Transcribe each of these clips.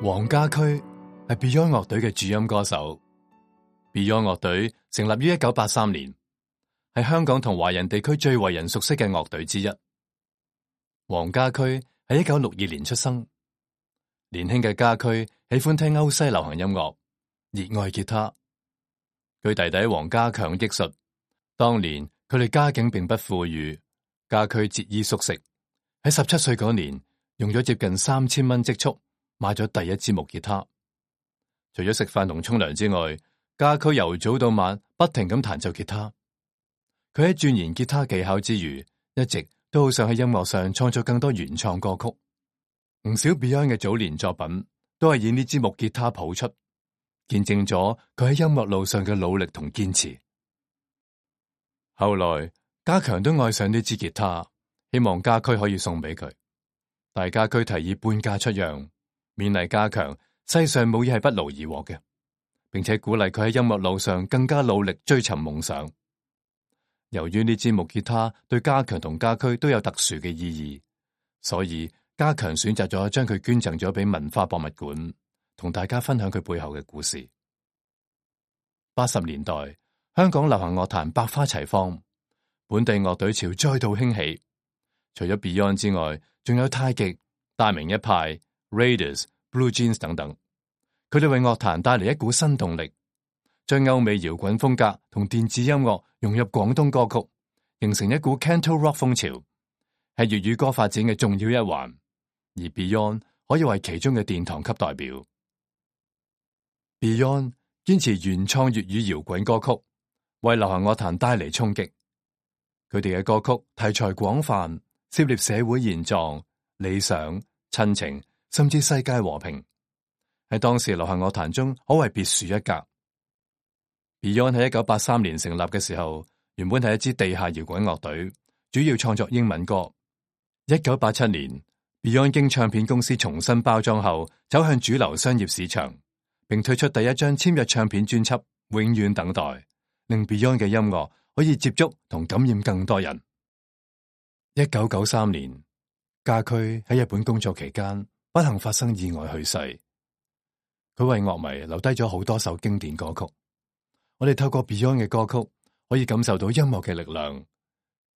黃家駒係 Beyond 樂隊嘅主音歌手。Beyond 樂隊成立於1983年，係香港同華人地區最為人熟悉嘅樂隊之一。黃家駒喺1962年出生，年輕嘅家駒喜歡聽歐西流行音樂，熱愛吉他。佢弟弟黃家強憶述，當年佢哋家境並不富裕，家駒節衣縮食，喺17歲嗰年用咗接近3000蚊積蓄買咗第一支木吉他。除咗食飯同沖涼之外，家駒由早到晚不停咁彈奏吉他。佢喺鑽研吉他技巧之餘，一直都好想喺音樂上創作更多原創歌曲。唔少 Beyond 嘅早年作品都係以呢支木吉他譜出，見證咗佢喺音樂路上嘅努力同堅持。後來家強都愛上呢支吉他，希望家駒可以送俾佢，但家駒提議半價出讓，勉勵家強世上冇嘢係不勞而獲嘅，並且鼓勵佢喺音樂路上更加努力追尋夢想。由於呢支木吉他對家強同家駒都有特殊嘅意義，所以家強選擇咗將佢捐贈咗俾文化博物館，同大家分享佢背後嘅故事。80年代，香港流行樂壇百花齊放，本地樂隊潮再度興起。除咗 Beyond 之外，仲有太極、大明一派、Raiders、Blue Jeans 等等。佢哋為樂壇帶嚟一股新動力，將歐美搖滾風格同電子音樂融入廣東歌曲，形成一股 Canto Rock 風潮，係粵語歌發展嘅重要一環。而 Beyond 可以為其中嘅殿堂級代表。Beyond 堅持原創粵語搖滾歌曲，為流行樂壇帶嚟衝擊。佢哋嘅歌曲題材廣泛，涉獵社會現狀、理想、親情，甚至世界和平，喺當時流行樂壇中可謂別樹一格。Beyond 喺1983年成立嘅時候，原本係一支地下搖滾樂隊，主要創作英文歌。1987年，Beyond 經唱片公司重新包裝後，走向主流商業市場，並推出第一張簽約唱片專輯《永遠等待》，令 Beyond 嘅音樂可以接觸同感染更多人。1993年，家駒喺日本工作期間不幸發生意外去世。佢為樂迷留低咗好多首經典歌曲。我哋透過 Beyond 嘅歌曲，可以感受到音樂嘅力量。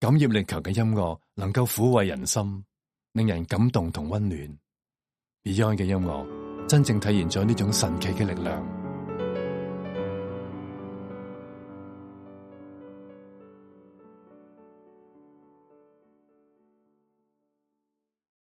感染力強嘅音樂能夠撫慰人心，令人感動同溫暖。Beyond 嘅音樂真正體現咗呢種神奇嘅力量。